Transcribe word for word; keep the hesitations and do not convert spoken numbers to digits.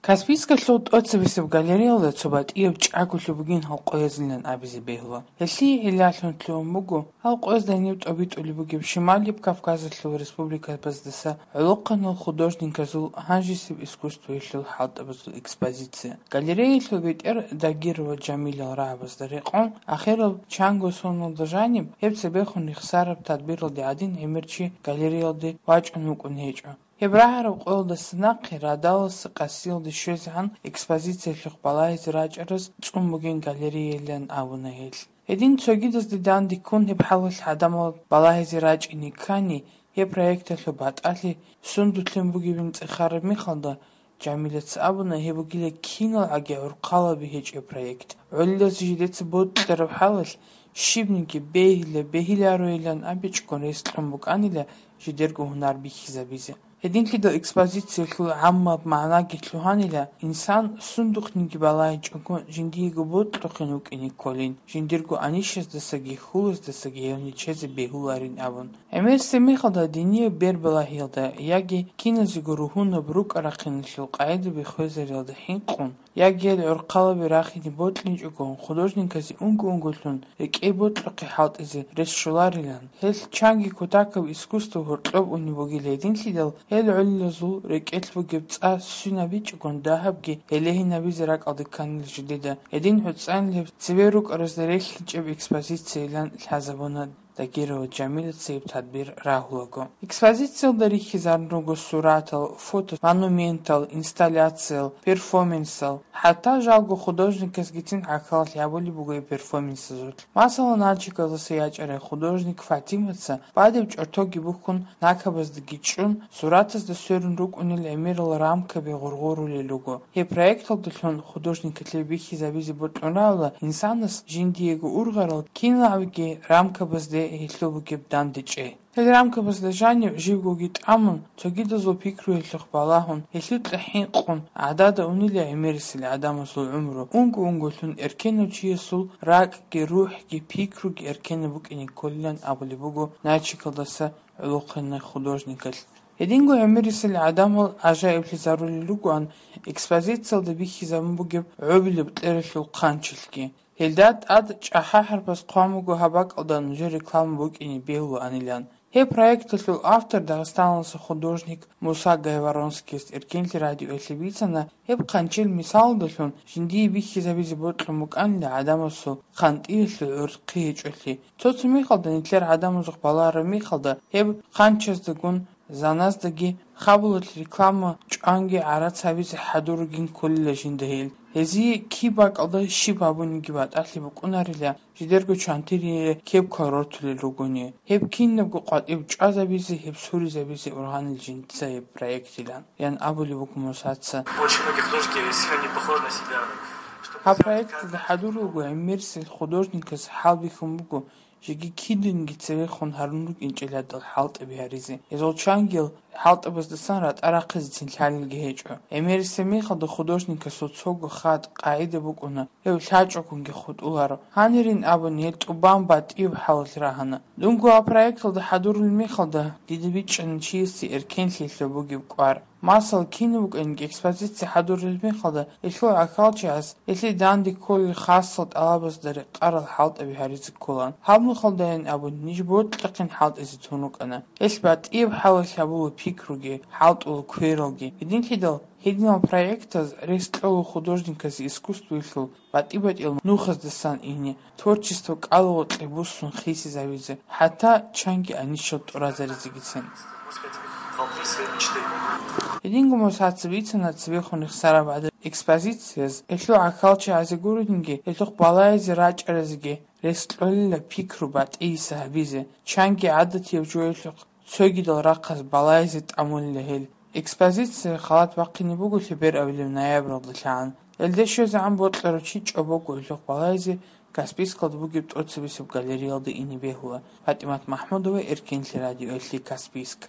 Каспийскалъул тӀоцебесеб галереялда цо батӀияб чӀаголъи бугин гьал къоязилан абизе бегьула. Гьелъие гӀиллалъун лъугьун буго гьал къоязда гьениб тӀобитӀулеб бугеб Шималияб Кавказалъул республикабаздаса гӀолохъанал художниказул гьанжесеб искусствоялъул хӀалтӀабазул экспозиция. Галереялъул бетӀер Дагирова Жамилал рагӀабазда рекъон, ахирал чанго соналда жаниб, гьеб цебехун рехсараб тадбиралде гӀадин гӀемер чи галереялде вачӀун вукӀун гьечӀо. Гьеб рагӀараб къоялдаса нахъе радаласа къасиялде щвезегӀан экспозициялъухъ балагьизе рачӀараз цӀун бугин галереялъан абуна гьел. Гьедин цогидазда данде ккун гьеб хӀалалъ гӀадамал балагьизе рачӀине ккани, гьеб проекталъул батӀалъи сундулъин бугебин цӀехараб мехалда, Жамилаца абуна, гьеб бугила киналгӀаги гӀурхъалаби гьечӀеб проект. ГӀолилазе жидеца бокьараб хӀалалъ, щибниги бегьила-бегьилароилан абичӀого рес кьун букӀанила жидерго гьунар бихьизабизе. Гьединлъидал экспозициялъул гӀаммаб магӀнаги лъугьанила, инсан сундухъниги балагьичӀого жиндиего бокьухъин вукӀине кколин, жиндирго анищаздасаги хьулаздасаги гьев нечезе бегьуларин абун. ГӀемерисеб мехалда динияб бербалагьиялда яги киназего ругьунаб рукӀа-рахъиналъул къагӀидаби хвезариялда хӀинкъун, яги гьел гӀурхъалаби рахине бокьичӀого художниказе унго-унголъун рекӀее бокьухъе хӀалтӀизе рес щоларилан, гьелъ чанги кутакаб искусство гьоркьоб унеб бугила гьединлъидал, гьел гӀолилазул рекӀелъ бугеб цӀа сунабичӀого дагьабги гьелегьинабизе ракӀалде кканила жидеда, гьедин гӀуцӀанилеб цебе рукӀаразда релълъинчӀеб экспозициялъан лъазабуна. Дагирова Жамилаца гьеб тадбир рагьулаго. Экспозициялда рихьизарун руго суратал, фото, монументал, инсталляциял, перформансал. ХӀатта жалго художникасгицин гӀахьаллъи гьабулеб буго гьеб перформансазулъ. Масала, Нальчикалдаса ячӀарай художник Фатимаца бадиб чӀортоги бухьун, накабаздаги чӀун, суратазда сверун рукӀунел гӀемерал рамкаби гъоргъорулел руго. Гьеб проекталдалъун художникалъе бихьизабизе бокьун рагӀула инсанас жиндиего ургъарал киналгӀаги рамкабазде гьелъул бугеб дандечӀей. Гьел рамкабазда жанив живгоги тӀамун, цогидазул пикруялъухъ балагьун, гьелъукьа хӀинкъун, гӀадада унила гӀемерисел гӀадамазул гӀумру, унго-унголъун эркенав чиясул ракӀги, рухӀги, пикруги эркенаб букӀине кколилан абулеб буго Нальчикалдаса гӀолохъанай художникалъ. Гьединго гӀемерисел гӀадамал гӀажаиблъизарулел ругоан экспозициялда бихьизабун бугеб гӀобилеб кьералъул хъанчилъги. Гьелда тӀад чӀахӀа-хӀарпаз хъван буго гьаб бакӀалда нужер реклама букӀине бегьулаанилан. Гьеб проекталъул автор, дагъистаналъул художник Муса Гайворонскияс Эркенлъи радиоялъе бицана, гьеб хъанчил мисалалдалъун жиндие бихьизабизе бокьун букӀанила гӀадамасул хъантӀиялъул гӀурхъи гьечӀолъи. Цо-цо мехалда нилъер гӀадамазухъ балараб мехалда гьеб хъанчаздагун заназдаги хабалалъ реклама чӀванги гӀарац гьабизе хӀадур ругин кколила жинда гьел. Гьезие киб бакӀалда щиб гьабуниги батӀалъи букӀунарила, жидерго чантириялъе кеб квал рортулел ругони. Гьеб кинабго къватӀиб чӀвазабизе, гьеб суризабизе ургъанил жинца гьеб проектилан, ян абулеб буго Мусаца. Очень многие художники сильно не похожи на себя. Гьаб проекталда хӀадур руго гӀемерисел художникас хӀалбихьун буго, жеги кидинги цевехун гьарун рукӀинчӀелъадал хӀалтӀаби гьаризе. Гьезул чангил хӀалтӀабаздасан ратӀа рахъизецин лъалелги гьечӀо. ГӀемерисеб мехалда художникасул цого хатӀ, къагӀида букӀуна, гьев лъачӀогунги хутӀуларо. Гьанирин абун, гьел тӀубан батӀияб хӀалалъ рагьана. Дунго гьаб проекталда хӀадурулеб мехалда, дида бичӀчӀана чиясе эркенлъиялъул бугеб кӀвар. Масал, кинаб букӀанги экспозиция хӀадурулеб мехалда, гьелъул гӀахьалчагӀаз гьелъие данде кколел хасал тӀалабазда рекъарал хӀалтӀаби гьаризе кколан. Гьаб мехалдайин абун, ниж бокьухъин хӀалтӀизе тун рукӀана. Гьелъ батӀияб хӀалалъ гьабула пикруги, хӀалтӀула квералги. Гьединлъидал, гьединал проектаз рес кьола художниказе искусствоялъул батӀи-батӀиял нухаздасан ине, творчество кӀалгъукье буссун хисизавизе, хӀатта чанги анищал тӀуразаризегицин. Гьединго Мусаца бицана цебехун рехсараб гӀадаб экспозицияз, гьелъул гӀахьалчагӀазе гурелъинги, гьелъухъ балагьизе рачӀаразеги рес кьолила пикру батӀияб гьабизе, чанги гӀадатияб жоялъухъ цогидал рахъаз балагьизе тӀамулила гьел. Экспозиция халат бахъине буго лъебер авилеб ноябралда лъагӀан. Гьелде щвезегӀан бокьарав чи чӀобого гьелъухъ балагьизе Каспийскалда бугеб тӀоцебесеб галереялда ине бегьула. ПатӀимат МахӀмудова, Эркенлъи радиоялъе, Каспийск.